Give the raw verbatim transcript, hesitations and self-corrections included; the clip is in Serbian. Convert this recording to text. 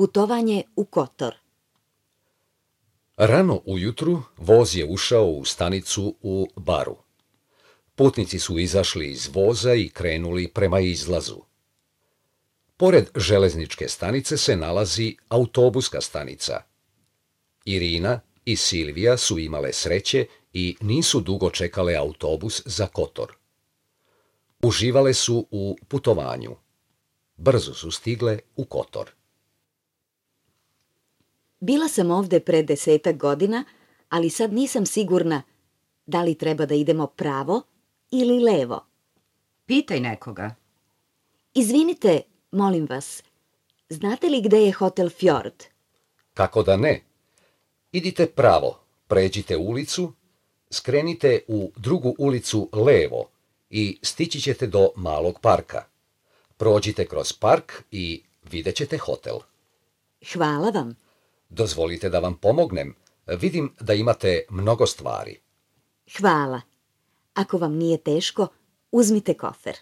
Putovanje u Kotor. Rano ujutru voz je ušao u stanicu u Baru. Putnici su izašli iz voza i krenuli prema izlazu. Pored železničke stanice se nalazi autobuska stanica. Irina i Silvija su imale sreće i nisu dugo čekale autobus za Kotor. Uživale su u putovanju. Brzo su stigle u Kotor. Bila sam ovde pre desetak godina, ali sad nisam sigurna da li treba da idemo pravo ili levo. Pitaj nekoga. Izvinite, molim vas, znate li gde je hotel Fjord? Kako da ne? Idite pravo, pređite ulicu, skrenite u drugu ulicu levo i stići ćete do malog parka. Prođite kroz park i vidjet ćete hotel. Hvala vam. Dozvolite da vam pomognem. Vidim da imate mnogo stvari. Hvala. Ako vam nije teško, uzmite kofer.